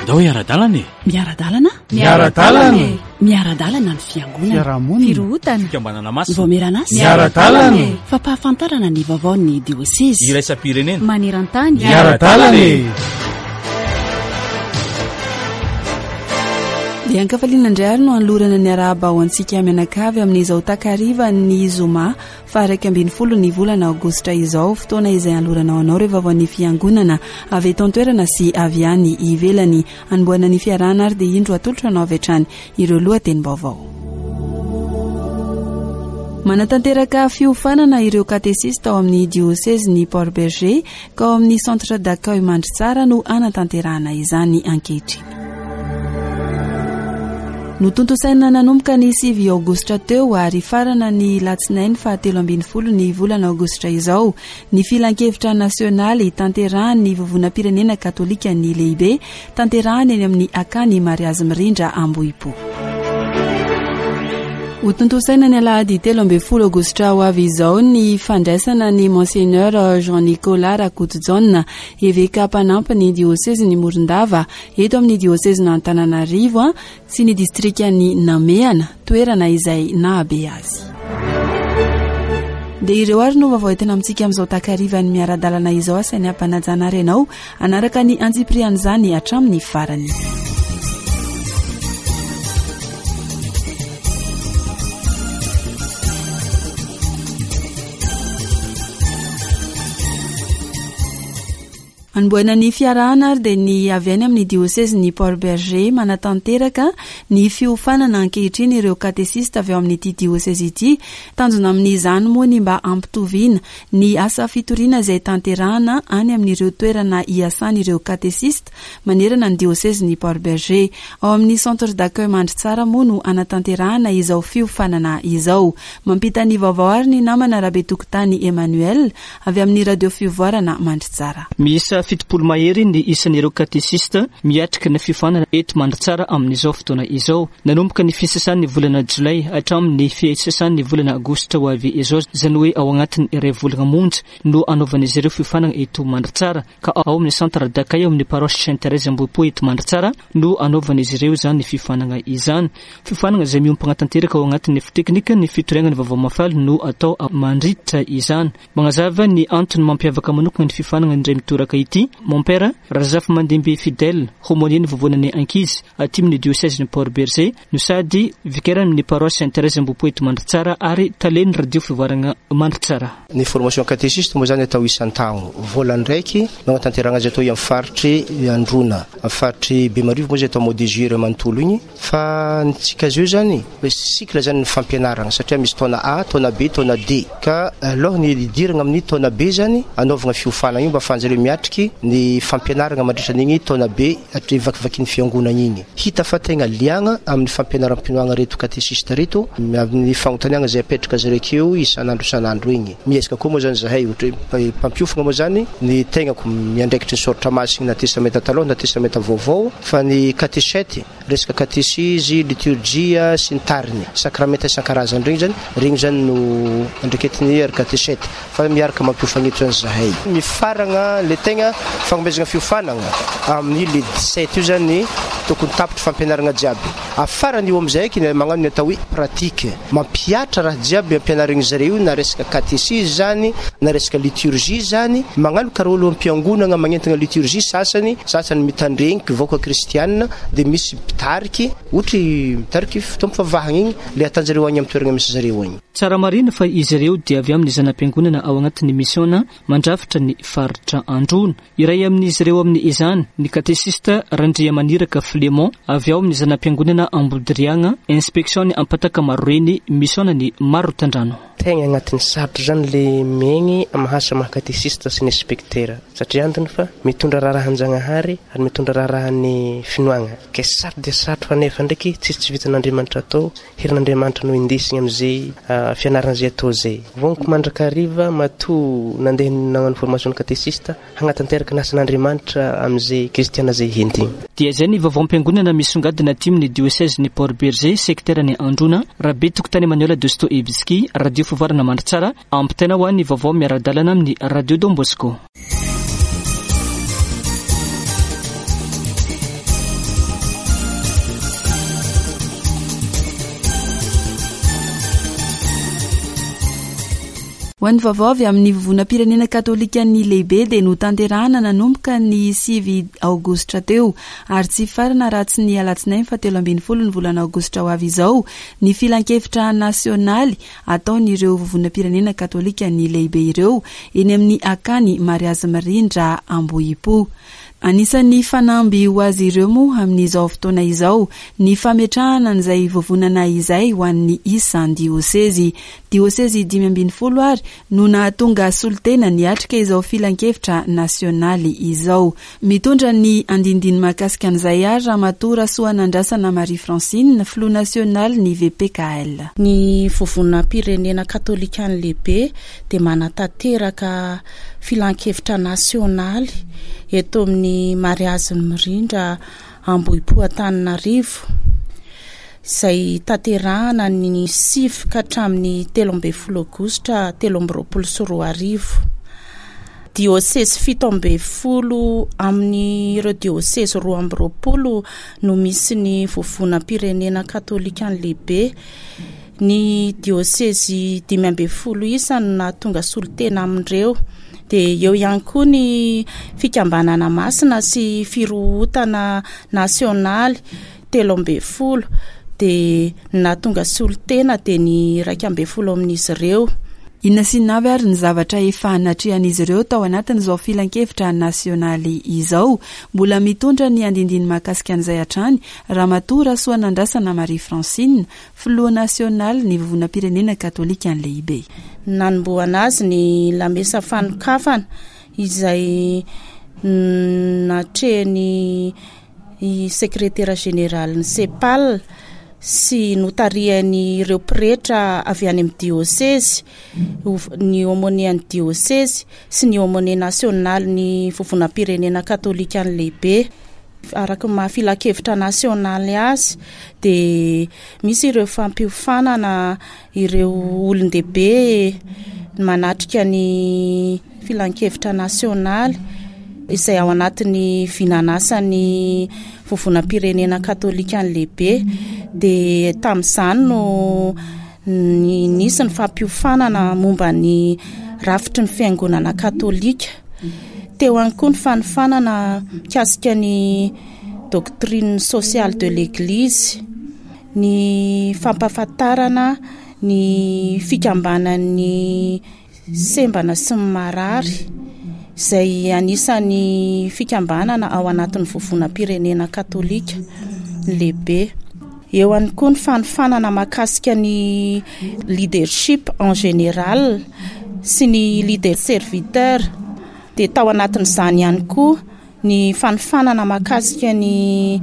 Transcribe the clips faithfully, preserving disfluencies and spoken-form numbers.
Andao hiara-dalana e! Miara-dalana? Miara-dalana e! Miara-dalana ny fiangonana. Fiarahamonina. Firohotana. Fikambanana masina. Vaomieran'asa. Miara-dalana e! Fampahafantarana ny vaovaon'ny diosezy. Iraisam-pirenena. Maneran-tany. Miara-dalana e! Dia ankafaliana indray ary no anolorana ny arahaba ho antsika mianakavy amin'izao takariva ny zoma faha iraika ambin'ny folo ny volana aogositra izao, fotoana izay anolorana ho anao ireo vaovaon'ny fiangonana avy eto an-toerana sy avy any ivelany. Anombohana ny fiarahana ary dia indro atolotra anao avy hatrany ireo lohatenim-baovao. Manatanteraka fiofanana ireo katesista ao amin'ny diosezin'ny Port Bergé ka ao amin'ny centre d'accueil Mandritsara no anatanterahana izany ankehitriny. Notontosaina nanomboka ny sivy aogositra teo ary farana ny latsinainy fahatelo ambin'ny folo ny volana aogositra izao ny filankevitra nasionaly tanterahan'ny vovonam-pirenena katolika ny lehibe tanterahany eny amin'ny akany Mariazy Mirindra Ambohipo. Hotontosaina ny alahady telo ambin'ny folo aogositra ho avy izao ny fandraisana ny Monseigneur Jean-Nicolas Rakotojaona, eveka mpanampy ny diosezin'ny Morondava eto amin'ny diosezin'Antananarivo sy ny distrikan'ny Namehana, toerana izay nahabe azy. Dia ireo ary no vaovao entina amintsika amin'izao takarivan'ny miara-dalana izao, asainy ampanajana ary ianao hanaraka ny antsipirian'izany hatramin'ny farany. Anombohana ny fiarahana ary dia ny avy any amin'ny diosezin'ny Port Bergé manatanteraka ny fiofanana ankehitriny ireo katesista avy ao amin'ity diosezy ity. Tanjona amin'izany moa ny mba hampitoviana ny asa fitoriana izay tanterahana any amin'ireo toerana iasan'ireo katesista manerana ny diosezin'ny Port Bergé. Ao amin'ny centre d'accueil Mandritsara moa no anatanterahana izao fiofanana izao. Mampita ny vaovao ary ny namana Rabetokotany Emmanuel avy amin'ny radio Fivoarana Mandritsara. Miisa fitopolo mahery ny isan'ireo katesista miatrika ny fiofanana eto Mandritsara amin'izao fotoana izao. Nanomboka ny fisasan'ny volana jolay hatramin'ny fisasan'ny volana aogositra ho avy izao, izany hoe ao anatin'ny iray volana monja no anaovan'izy ireo fiofanana eto Mandritsara, ka ao amin'ny centre d'accueil ao amin'ny paroisse Sainte Thérèse Ambohipo eto Mandritsara no anaovan'izy ireo izany fiofanana izany. Fiofanana izay miompana tanteraka ao anatin'ny teknika ny fitoriana ny vaovao mahafaly no atao mandritra izany. Manazava ny antony mampiavaka manokana ny fiofanana indray mitoraka ity Mon père Razafimandimby Fidèle, aumônier ny vovonan'ny ankizy aty amin'ny diocèse ny Port Bergé, no sady vicaire amin'ny paroisse Sainte Thérèse Ambohipo eto Mandritsara ary talen'ny radio Fivoarana Mandritsara. Ny formation catéchiste moa zany atao isan-taogno. Voalohany ndraiky nanatanterahana azy atao amin'ny faritry Androna, amin'ny faritry Bemarivo moa zay atao mois de juillet manontolo igny. Fa ntsika azy io zany, cycle zany ny fampianarana satria misy taona A, taona B, taona D. Ka aloha ny hidirana amin'ny taona B zany anaovana fiofanana io mba ahafahan'zareo miatriky ny fampianarana mandritra an'igny taona B hatry vakivakin'ny fiangonana igny. Hita fa tegna liagna amin'ny fampianaram-pinoagna reto katesista reto, amin'ny fanontaniana izay apetraka zareo akeo isan'andro isan'andro igny. Miezaka koa moa zany zahay ohatra hoe mpampiofana moa zany ny tegnako miandraikitry ny soratra masina na testamenta taloha na testamenta vaovao, fa ny katesety, resaka katesizy, liturgia sy ny tariny, sakramenta isan-karazany regny zany, regny zany no andraiketiny ary katesety, fa miaraka mampiofana eto zany zahay. Mifaragna le tegna fagnomezana fiofanana amin'ny le dix-sept io zany tokony tapitry fampianarana jiaby. Afarany io amizay eky magnano ny atao hoe pratique, mampiatra raha jiaby ampianarigny zareo io, na resaka katesizy zany, na resaka liturgie zany, magnano karaha olo am-piangonana magnentana liturgie sasany, sasany mitandregny vahoaka kristianina, de misy mpitariky, ohatry mitariky fotoam-pivavahana igny, le atanjareo agny amin'ny toerana misy zareo agny. Tsara marina fa izy ireo dia avy amin'ny zana-piangonana ao anatin'ny misiona mandrafitra ny faritra Androna. Iray amin'izy ireo amin'izany ny katesista Randriamaniraka Flémont avy ao amin'ny zana-piangonana Ambodiriagna, inspection ny Ampataka Maroreny, misiona ny Marotandrano. Tegna agnatin'ny sarotra zany le miaigny mahasa maha katesista sy ny inspektera, satria antony fa mitondra raharahan-janahary ary mitondra raharahan'ny finoagna. Ke sarotra dia sarotra fa nefa ndraiky tsisy tsy vitan'Andriamanitra atao, herin'Andriamanitra no indesigny amin'izay, ah, fianarana izay atao izay. Vogniko mandrakariva matoa nandeha nagnano formation katesista hagnatanteraka ny asan'Andriamanitra amin'izay kristiana izay hentigny. Dia izay ny vaovaom-piangonana misongadina aty amin'ny diocèse ny Port Bergé, secteur ny Androna, Rabetokotany Emmanuel Dostoevsky, radio Fivoarana Mandritsara, ampitaina ho an'ny vaovao miara-dalana amin'ny radio Don Bosco. Ho an'ny vaovao avy amin'ny Vovonam-pirenena katolikan'ny lehibe dia notanterahana nanomboka ny sivy aogositra teo ary tsy farana raha tsy ny alatsinainy fa telo ambin'ny folo ny volana aogositra ho avy izao ny filankevitra nasionaly ataon'ireo Vovonam-pirenena katolikan'ny lehibe ireo eny amin'ny akany Mariazy Mirindra Ambohipo. Anisan'ny fanamby ho azy ireo moa amin'izao fotoana izao ny fametrahana an'izay vovonana izay ho an'ny isan-diosezy. Diosezy dimy ambin'ny folo ary no nahatonga solontena niatrika izao filankevitra nasionaly izao. Mitondra ny andindiny mahakasika an'izay ary Ramatoa Rasoanandrasana Marie Francine, filoha nasionaly ny V P K L. Ny Vovonam-pirenena katolikan'ny lehibe dia manatanteraka filankevitra nasionaly eto amin'ny Mariazy Mirindra Ambohipo Antananarivo, izay tanterahana ny sivy ka hatramin'ny telo ambin'ny folo aogositra telo amby roapolo sy roa arivo. Diosezy fito ambin'ny folo amin'ireo diosezy roa amby roapolo no misy ny Vovonam-pirenena katolika ny lehibe. Ny diosezy dimy ambin'ny folo isa no nahatonga solontena amin'ireo. Dia eo ihany koa ny fikambanana masina sy firohotana nasionaly telo ambin'ny folo, dia nahatonga solontena dia ny iraika ambin'ny folo amin'izy ireo. Inona sy inona avy ary ny zavatra efa natrehan'izy ireo tao anatin'izao filankevitra nasionaly izao? Mbola mitondra ny andindiny mahakasika an'izay hatrany Ramatoa Rasoanandrasana Marie Francine, filoha nasionaly ny Vovonam-pirenena katolika ny lehibe. Nanombohana azy ny lamesa fanokafana izay natrehany sekretera général ny CEPAL sy notariany ireo pretra avy any amin'ny diosezy, ny aumônier ny diosezy sy ny aumônier national ny Vovonam-pirenena katolika ny lehibe. Araka ny maha-filankevitra nasionaly azy dia misy ireo fampiofanana ireo olon-dehibe manatrika ny filankevitra nasionaly, izay ao anatin'ny vinanasany Vovonam-pirenena katolika ny lehibe. Dia tamin'izany no nisy ny fampiofanana momba ny rafitry ny fiangonana katolika. Teo ihany koa ny fanofanana mikasika ny doctrine sociale de l'Église, ny fampahafantarana ny fikambanan'ny sembana sy ny marary, izay anisan'ny fikambanana ao anatin'ny Vovonam-pirenena katolika lehibe. Eo ihany koa ny fanofanana mahakasika ny leadership en général sy ny leader serviteur. Dia tao anatin'izany ihany koa ny fanofanana mahakasika ny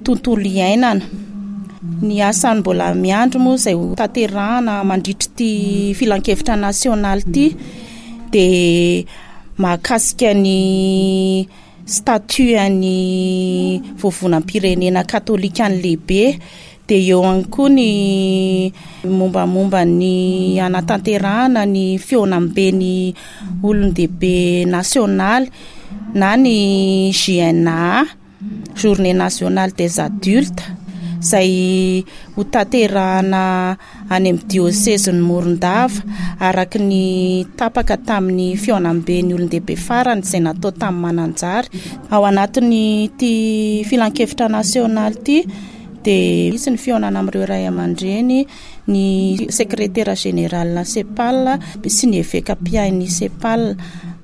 tontolo iainana. Ny asany mbola miandro moa izay ho tanterahana mandritry ty filankevitra nasionaly ity dia mahakasika ny statut any Vovonam-pirenena katolika ny lehibe. Dia eo ihany koa ny mombamomba ny anatanterahana ny fihaonambe ny olon-dehibe nasionaly na ny J N A, Journée nationale des adultes, izay ho tanterahana any amin'ny diosezin'ny Morondava, araka ny tapaka tamin'ny fihaonambe ny olon-dehibe farany izay natao tamin'ny Mananjary. Ao anatin'ny ty filankevitra nasionaly ity dia misy ny fihaonana amin'ireo ray aman-dreny, ny sekretera général na CEPAL sy ny eveka mpiahy CEPAL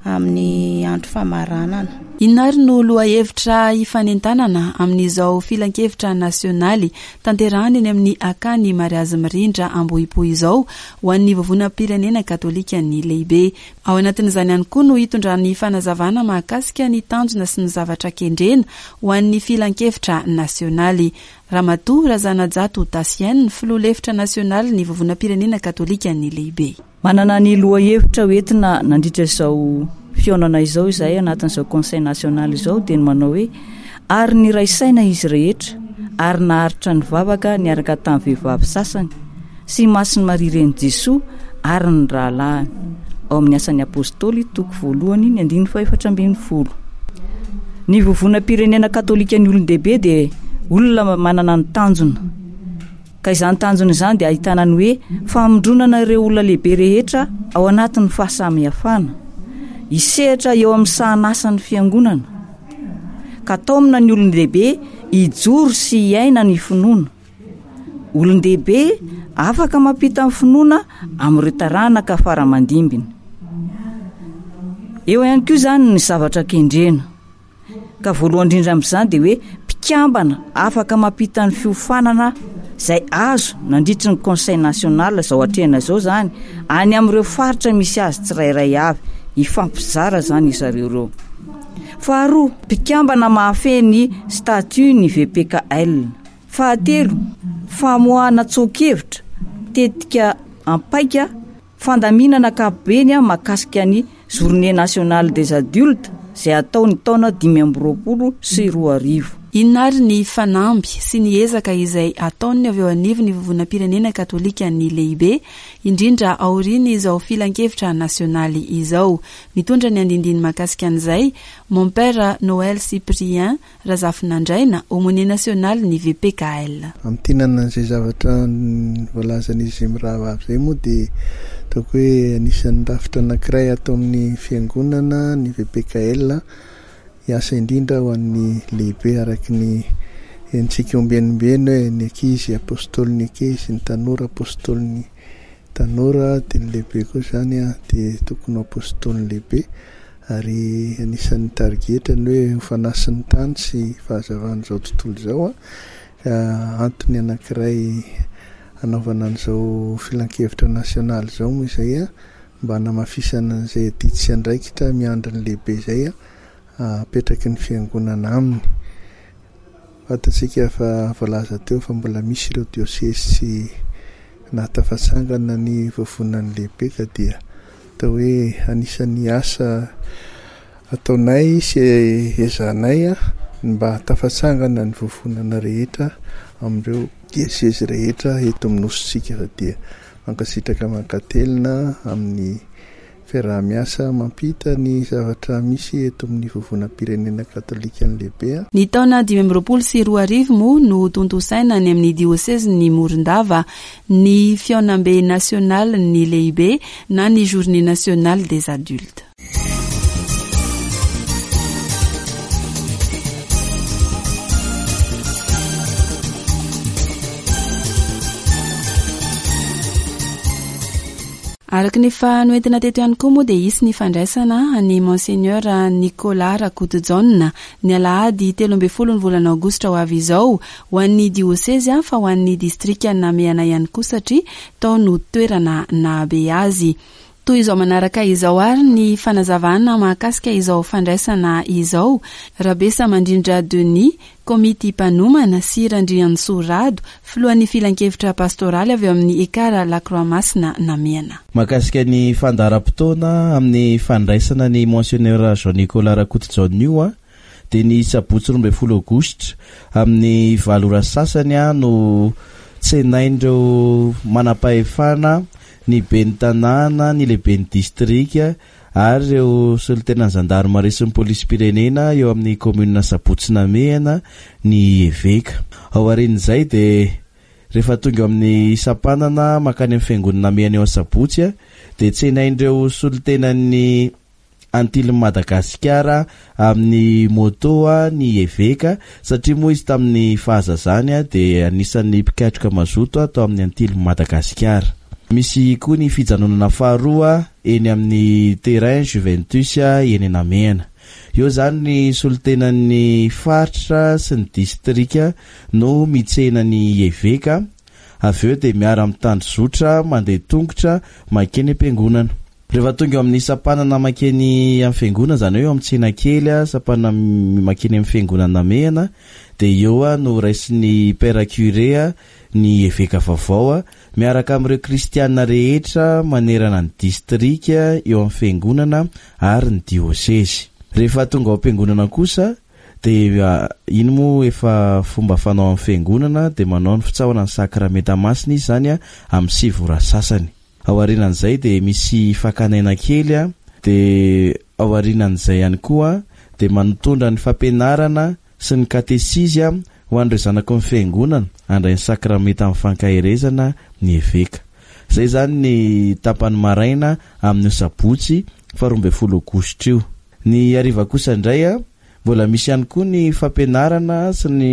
amin'ny andro famaranana. Inona ary no lohahevitra hifanentanana amin'izao filankevitra nasionaly tanterahana eny amin'ny akany Mariazy Mirindra Ambohipo izao ho an'ny Vovonam-pirenena katolika ny lehibe? Ao anatin'izany ihany koa no hitondrany fanazavana mahakasika ny tanjona sy ny zavatra kendrena ho an'ny filankevitra nasionaly Ramatoa Razanajato Tasienne, filoha lefitra nasionaly ny Vovonam-pirenena katolika ny lehibe. Manana ny lohahevitra hoentina nandritra izao fihaonana izao izay anatin'izao conseil national izao dia ny manao hoe: "Ary niray saina izy rehetra ary naharitra nivavaka niaraka tamin'ny vehivavy sasany sy Masina Maria renin'i Jesoa ary ny rahalahiny", ao amin'ny Asan'ny Apôstôly toko voalohany ny andininy fahefatra ambin'ny folo. Ny Vovonam-pirenena katolika ny olon-dehibe dia olona manana ny tanjona Ka izany tanjona izany dia ahitana ny hoe famondronana ireo olona lehibe rehetra ao anatin'ny fahasamihafana, hisehatra eo amin'ny sahanasan'ny fiangonana, ka taomina ny olon-dehibe hijoro sy hiaina ny finoana. Olon-dehibe afaka mampita ny finoana amin'ireo taranaka fara-mandimbiny. Eo ihany koa izany ny zavatra kendrena. Ka voalohany indrindra amin'izany dia hoe mpikambana afaka mampita ny fiofanana izay azo nandritry ny Conseil national izao atrehina izao izany any amin'ireo faritra misy azy tsirairay avy, hifampizara izany izareo ireo. Faharoa, mpikambana mahafehy ny statut ny V P K L. Fahatelo, famoahana tsoa-kevitra, tetika ampaika, fandaminana ankapobeny mahakasika ny Journée nationale des adultes izay atao ny taona dimy amby roapolo sy roa arivo. Inona ary ny fanamby sy ny ezaka izay ataon'ny avy eo anivon'ny Vovonam-pirenena katolika ny lehibe, indrindra aorian'izao filankevitra nasionaly izao. Mitondra ny andindiny mahakasika an'izay, Mon Père Noël Cyprien Razafinandraina, aumônier national ny V P K L. Amintinana an'izay zavatra voalazan'izy mirahavavy izay moa dia ataoko hoe anisan'ny rafitra anankiray ato amin'ny fiangonana ny V P K L, hiasa indrindra ho an'ny lehibe araky ny henontsika ombienimbeny hoe ny ankizy apôstôlin'ny ankizy, ny tanora apôstôlin'ny tanora, dia ny lehibe koa izany a, dia tokony ho apôstôlin'ny lehibe. Ary anisan'ny tarigetra ny hoe ho fanasin'ny tany sy fahazavan'izao tontolo izao a, ka antony anankiray hanaovana an'izao filankevitra nasionaly izao moa izay a, mba hanamafisana an'izay adidy sy andraikitra miandry ny lehibe izay a, apetraky ny fiangonana aminy. Fantatsika fa voalaza teo fa mbola misy ireo diosezy tsy nahatafatsangana ny vovonan'ny lehibe, ka dia atao hoe anisan'ny asa ataonay sy ezanay a, mba hatafatsangana ny vovonana rehetra amin'ireo diosezy rehetra eto amin'ny nosintsika. Fa dia mankasitraka mankatelina amin'ny fiaraha-miasa mampita ny zavatra misy eto amin'ny vovonam-pirenena katolika ny lehibe a. Ny taona dimy amby roapolo sy roa arivo moa no tontosaina any amin'ny diosezin'ny Morondava ny fihaonambe nasionaly ny lehibe na ny Journée nationale des adultes. Araka ny efa noentina teto ihany koa moa dia hisy ny fandraisana an'i Monseigneur Nicolas Rakotojaona ny alahady telo ambin'ny folo ny volana aogositra ho avy izao ho an'ny diosezy fa ho an'ny distrika Namehana ihany koa satria tao no toerana nahabe azy. Toy izao manaraka izao ary ny fanazavana mahakasika izao fandraisana izao. Rabesa Mandrindra Denis, komity mpanomana, sy Randriantsoa Rado, filohan'ny filankevitra pastoraly avy eo amin'ny Ekara La Croix Masina Namehana. Mahakasika ny fandaharam-potoana amin'ny fandraisana ny Monseigneur Jean-Nicolas Rakotojaona io a, dia ny sabotsy roa ambin'ny folo aogositra amin'ny valo ora sasany a no tsenain'ireo manam-pahefana, ny ben'ny tanàna, ny lehiben'ny distrika ary ireo solontenan'ny zandarmaria sy ny polisim-pirenena eo amin'ny commune Sabotsy Namehana ny eveka. Ao aorian'izay dia rehefa tonga eo amin'ny sampanana mankany amin'ny fiangonana Namehana eo Sabotsy a, dia tsenain'ireo solontenan'ny Antilin'i Madagasikara amin'ny moto a ny eveka, satria moa izy tamin'ny fahazazany a dia anisan'ny mpikatroka mazoto a tao amin'ny Antilin'i Madagasikara. Misy koa ny fijanonana faharoa eny amin'ny terrain Juventus eny Namehana. Eo izany ny solontenan'ny faritra sy ny distrika no mitsena ny eveka, avy eo dia miara-mitandro zotra mandeha tongotra mankeny am-piangonana. Rehefa tonga eo amin'ny sampanana mankeny amin'ny fiangonana, izany hoe eo amin'ny tsena kely, sampanana mankeny amin'ny fiangonana Namehana, dia eo no raisin'ny père curé ny eveka vaovao miaraka amin'ireo kristiana rehetra manerana ny distrika eo amin'ny fiangonana ary ny diosezy. Rehefa tonga ao am-piangonana kosa dia iny moa efa fomba fanao amin'ny fiangonana, dia manao ny fitsaohana ny sakramenta masina izy izany a amin'ny sivy ora sasany. Ao aorianan'izay dia misy fakanaina kely a, dia ao aorianan'izay ihany koa dia manotondra ny fampianarana sy ny katesizy a ho an'ireo zanaky ny fiangonana handray ny sakramenta amin'ny fankaherezana ny eveka. Izay izany ny tapany maraina amin'io sabotsy faharoa ambin'ny folo aogositra io. Ny hariva kosa indray a, mbola misy ihany koa ny fampianarana sy ny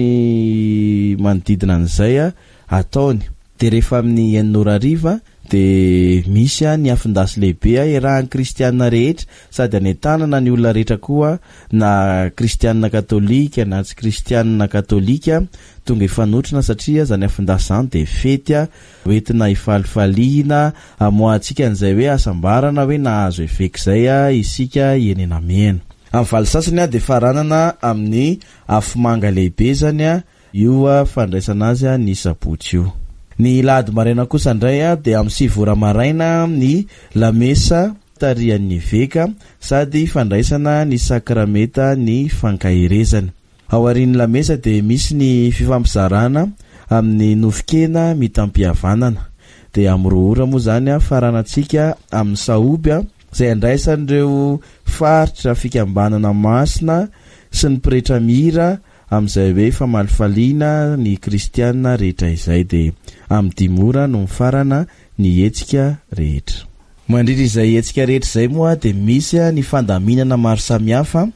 manodidina an'izay a ataony. Dia rehefa amin'ny enina ora hariva dia misy a ny afon-dasy lehibe a iarahan'ny kristianina rehetra sady anentanana ny olona rehetra koa na kristianina katolika na tsy kristianina katolika tonga hifanotrona satria zany afon-dasy zany dia fety a hoentina hifalifaliana hamoahantsika an'izay hoe hasambarana hoe nahazo eveka izay a isika eny Namehana. Amin'ny valo sasany a dia faranana amin'ny afomanga lehibe zany a io a fandraisana azy a ny sabotsy io. Ny lahady maraina kosa indray a dia amin'ny sivy ora maraina ny lamesa tarihan'ny eveka sady fandraisana ny sakramenta ny fankaherezana. Ao aorian'ny lamesa dia misy ny fifampizarana amin'ny nofon-kena mitam-pihavanana. Dia amin'ny roa ora moa zany a faranantsika amin'ny sahoby a izay andraisan'ireo faritra fikambanana masina sy ny pretra mihira amin'izay hoe famalifaliana ny kristianina rehetra izay. Dia amin'ny dimy ora no mifarana ny hetsika rehetra. Mandritra izay hetsika rehetra izay moa dia misy ny fandaminana maro samihafa.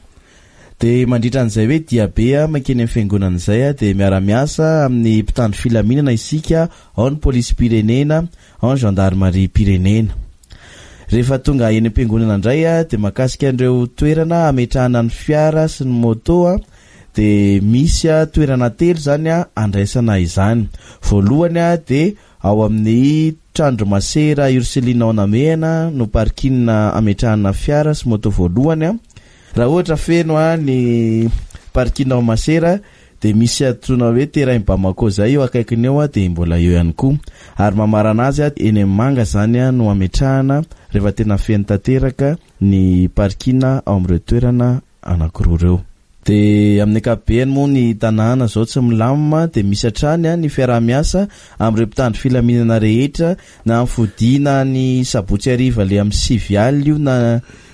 Dia mandritra an'izay hoe diabe mankeny amin'ny fiangonana izay dia miara-miasa amin'ny mpitandro filaminana isika, ao ny polisim-pirenena, ao ny gendarmerie-pirenena. Rehefa tonga eny am-piangonana indray dia mahakasika an'ireo toerana hametrahana ny fiara sy ny moto dia misy toerana telo zany andraisana izany. Voalohany dia ao amin'ny trano masera Ursuline ao Namehana no parking ametrahana fiara sy moto voalohany. Raha ohatra feno ny parking ao Masera dia misy antsoina hoe terrain Bamako zay eo akaikiny eo dia mbola eo ihany koa. Ary mamarana azy eny amin'ny manga zany no ametrahana rehefa tena feno tanteraka ny parking ao amin'ireo toerana anankiroa ireo. Dia amin'ny ankapobeny moa ny tanàna izao tsy milamina dia misy hatrany ny fiaraha-miasa amin'ireo mpitandro filaminana rehetra na amin'ny fodiana ny sabotsy hariva le amin'ny sivy alina io na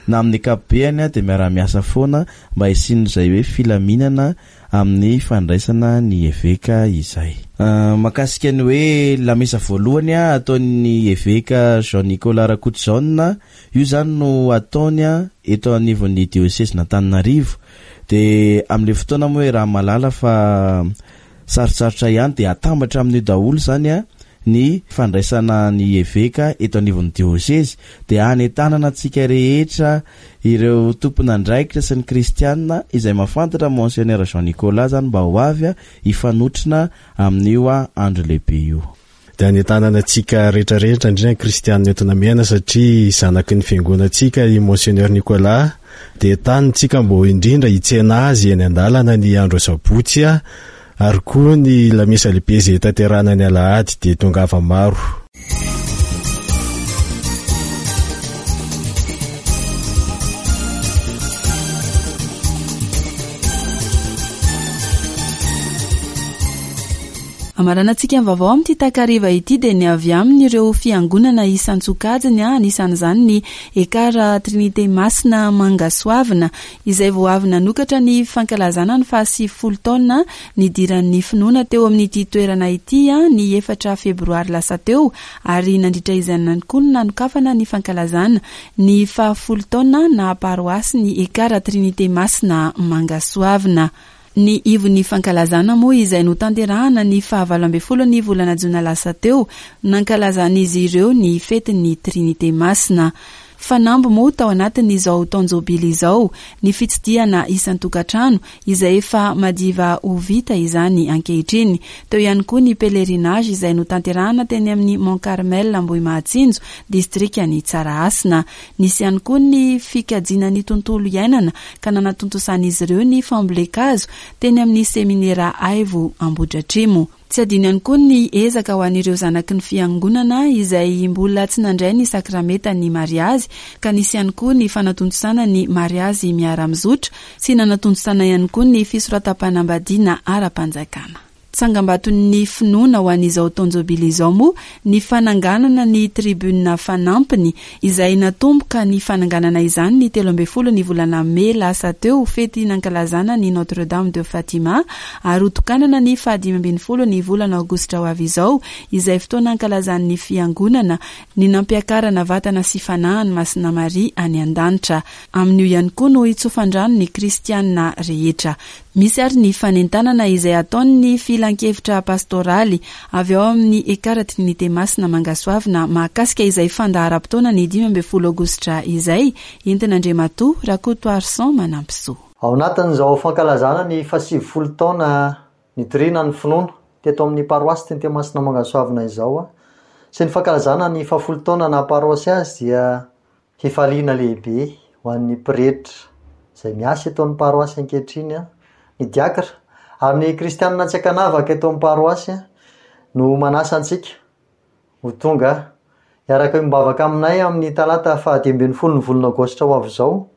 na amin'ny ankapobeny dia miara-miasa foana mba hisian'izay hoe filaminana amin'ny fandraisana ny eveka izay. Mahakasika ny hoe lamesa voalohany ataon'ny eveka Jean-Nicolas Rakotojaona, io zany no ataony eto anivon'ny diosezin'Antananarivo. Dia amin'ilay fotoana moa hoe raha mahalala fa sarotsarotra ihany dia atambatra amin'io daholo zany ny fandraisana ny eveka eto anivon'ny diosezy. Dia anentanana antsika rehetra ireo tompon'andraikitra sy ny kristianina izay mahafantatra Monseigneur Jean-Nicolas zany mba ho avy hifanotrona amin'io andro lehibe io. Dia anentanana antsika rehetrarehetra indrindra ny kristianina eto Namehana satria zanaky ny fiangonantsika i Monseigneur Nicolas. Dia entanintsika mba indrindra hitsena azy eny an-dalana ny andro sabotsy ary koa ny lamesa lehibe izay tanterahana ny alahady dia tongava maro. Amaranantsika ny vaovao amin'ity takariva ity dia ny avy amin'ireo fiangonana isan-tsokajiny, anisan'izany ny Ekara Trinité Masina Mangasoavina izay vao avy nanokatra ny fankalazana ny fahasivifolo taona nidiran'ny finoana teo amin'ity toerana ity ny efatra febroary lasa teo, ary nandritra izany ihany koa no nanokafana ny fankalazana ny fahafolo taona na paroasy ny Ekara Trinité Masina Mangasoavina. Ny ivon'ny fankalazana moa izay notanterahana ny fahavalo ambin'ny folo ny volana jona lasa teo, nankalazan'izy ireo ny fetin'ny Trinité Masina. Fanamby moa tao anatin'izao taon-jobily izao ny fitsidihana isan-tokantrano izay efa madiva ho vita izany ankehitriny. Teo ihany koa ny pèlerinage izay notanterahana teny amin'ny Mont Carmel Ambohimahatsinjo, distrikan'i Tsarahasina. Nisy ihany koa ny fikajiana ny tontolo iainana ka nanatontosan'izy ireo ny fambolen-kazo teny amin'ny seminera Aivo Ambohidratrimo. Tsy adino ihany koa ny ezaka ho an'ireo zanaky ny fiangonana izay mbola tsy nandray ny sakramenta ny mariazy, ka nisy ihany koa ny fanatontosana ny mariazy miara-mizotra sy nanatontosana ihany koa ny fisoratam-panambadiana ara-panjakana. Tsangambaton'ny finoana ho an'izao taon-jobily izao moa ny fananganana ny tribune fanampiny izay natomboka ny fananganana izany ny telo ambin'ny folo ny volana mey lasa teo, fety nankalazana ny Notre Dame de Fatima, ary hotokanana ny fahadimy ambin'ny folo ny volana aogositra ho avy izao, izay fotoana ankalazan'ny fiangonana ny nampiakarana vatana sy fanahy an'i Masina Maria any an-danitra. Amin'io ihany koa no hitsofan-drano ny kristianina rehetra. Misy ary ny fanentanana izay ataon'ny filankevitra pastoraly avy ao amin'ny Ekara Trinité Masina Mangasoavina mahakasika izay fandaharam-potoana ny dimy ambin'ny folo aogositra izay, entin'Andriamatoa Rakotoarison Manampisoa. Ao anatin'izao fankalazana ny fahasivifolo taona nitoriana ny finoana teto amin'ny paroasy Trinité Masina Mangasoavina izao sy ny fankalazana ny fahafolo taona naha paroasy azy dia fifaliana lehibe ho an'ny pretra izay miasa eto amin'ny paroasy ankehitriny, ny diakra ary ny kristianina tsy ankanavaka eto amin'ny paroasy no manasa antsika ho tonga hiaraka hiombavaka aminay amin'ny talata fahadimy ambin'ny folo ny volana aogositra ho avy izao,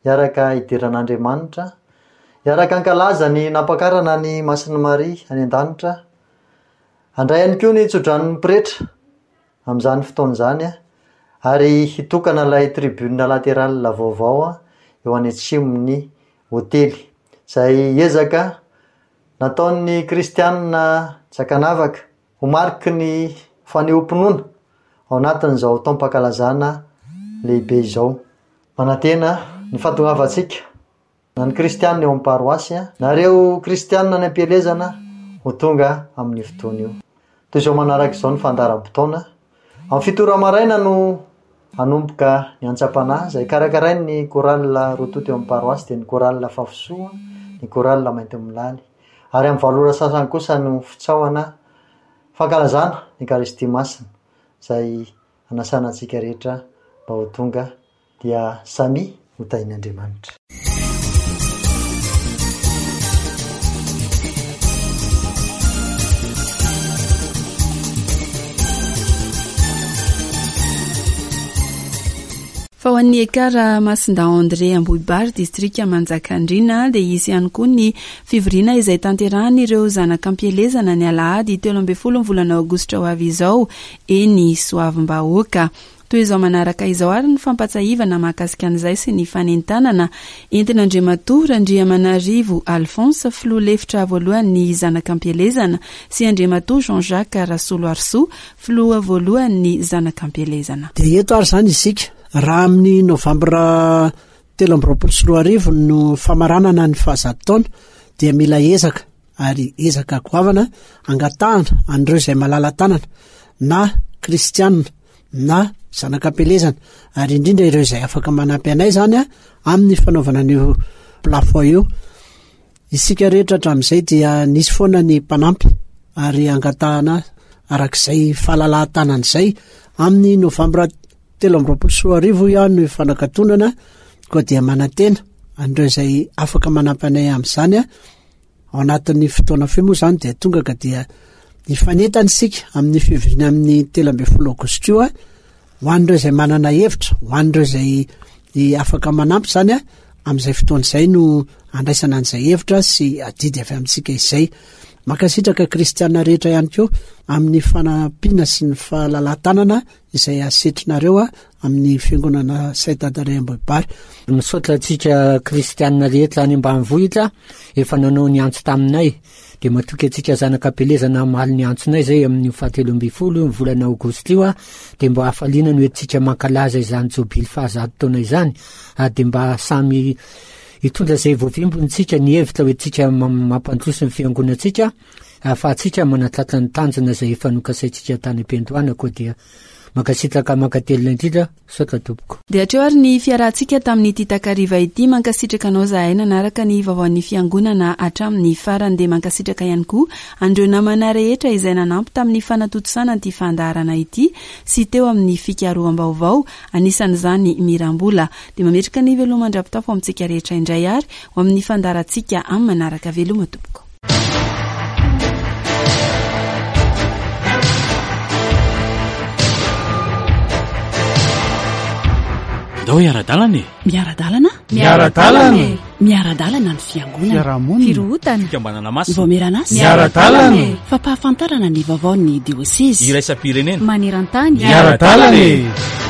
hiaraka hidera an'Andriamanitra, hiaraka hankalaza ny nampakarana ny Masina Maria any an-danitra, handray ihany koa ny tsodranon'ny pretra amin'izany fotoana izany ary hitokana ilay tribune latérale vaovao eo any atsimon'ny hotely izay ezaka nataon'ny kristianina tsy ankanavaka ho mariky ny fanehoam-pinoana ao anatin'izao taom-pankalazana lehibe izao. Manantena ny fahatongavantsika na ny kristianina eo amin'ny paroasy na ireo kristianina any am-pielezana ho tonga amin'ny fotoana io. Toy izao manaraka izao ny fandaharam-potoana. Amin'ny fito ora maraina no hanomboka ny antsam-panahy izay karakarain'ny chorale roa tonta eo amin'ny paroasy, dia ny chorale Fafisoa, ny chorale Maintimolaly. Ary amin'ny valo ora sasany kosa no fitsaohana fankalazana ny Ekaristia Masina izay anasana antsika rehetra mba ho tonga dia samy ho tahin'Andriamanitra. Fa ho an'ny Ekara Masinda André Ambohibary, distrika Manjakandriana, dia hisy ihany koa ny fivoriana izay tanterahan'ireo zanak'ampielezana ny alahady telo ambin'ny folo ny volana aogositra ho avy izao eny Soavimbahoaka. Toy izao manaraka izao ary ny fampatsahivana mahakasika an'izay sy ny fanentanana entin'Andriamatoa Randriamanarivo Alphonse, filoha lefitra voalohan'ny zanak'ampielezana, sy Andriamatoa Jean-Jacques Rasoloarisoa, filoha voalohan'ny zanak'ampielezana. Dia eto ary izany isika, raha amin'ny novambra telo amby roapolo sy roa arivo no famaranana ny fahazato taona, dia mila ezaka ary ezaka goavana angatahana an'ireo izay malala-tanana na kristianina na zanak'ampielezana, ary indrindra ireo izay afaka manampy anay izany a amin'ny fanaovana an'io plafond io. Isika rehetra hatramin'izay dia nisy foana ny mpanampy ary angatahana arak'izay fahalalahan-tanana izay amin'ny novambra telo amby roapolo sy roa arivo ihany no fanakatonana, koa dia manantena an'ireo izay afaka manampy anay amin'izany a. Ao anatin'ny fotoana fohy moa izany dia tonga ka dia hifanentana isika amin'ny fivoriana amin'ny telo ambin'ny folo aogositra io a, ho an'ireo izay manana hevitra, ho an'ireo izay afaka manampy izany a, amin'izay fotoana izay no andraisana an'izay hevitra sy adidy avy amintsika izay. Mankasitraka kristiana rehetra ihany koa amin'ny fanampiana sy ny fahalalahan-tanana izay asetrinareo a amin'ny fiangonana Saint André Ambohibary. Misaotra antsika kristiana rehetra any ambanivohitra efa nanao ny antso taminay, dia matoky antsika zanak'ampielezana hamaly ny antsonay izay amin'ny fahatelo ambin'ny folo ny volana aogositra io a, dia mba hafaliana no entintsika mankalaza izany jobily fahazato taona izany, ary dia mba samy hitondra izay voavimbontsika ny hevitra ho entintsika mampandroso ny fiangonantsika ahafahantsika manatratra ny tanjona izay efa nokasaintsika tany am-piandohana. Koa dia mankasitraka mankatelina indrindra, saotra tompoko. Dia hatreo ary ny fiarahantsika tamin'ity takariva ity. Mankasitraka anao zahay nanaraka ny vaovaon'ny fiangonana hatramin'ny farany. Dia mankasitraka ihany koa an'ireo namana rehetra izay nanampy tamin'ny fanatontosana ity fandaharana ity sy teo amin'ny fikaroham-baovao, anisan'izany Mirambola. Dia mametraka ny veloma mandra-pitafo amintsika rehetra indray ary ho amin'ny fandaharantsika amin'ny manaraka. Veloma tompoko. Ndao hiara-dalana e. Miara-dalana? Miara-dalana e. Miara-dalana ny fiangonana. Fiarahamonina. Firohotana. Fikambanana masina. Vaomieran'asa. Miara-dalana e! Fampahafantarana ny vaovaon'ny diosezy. Iraisam-pirenena. Maneran-tany. Miara-dalana e!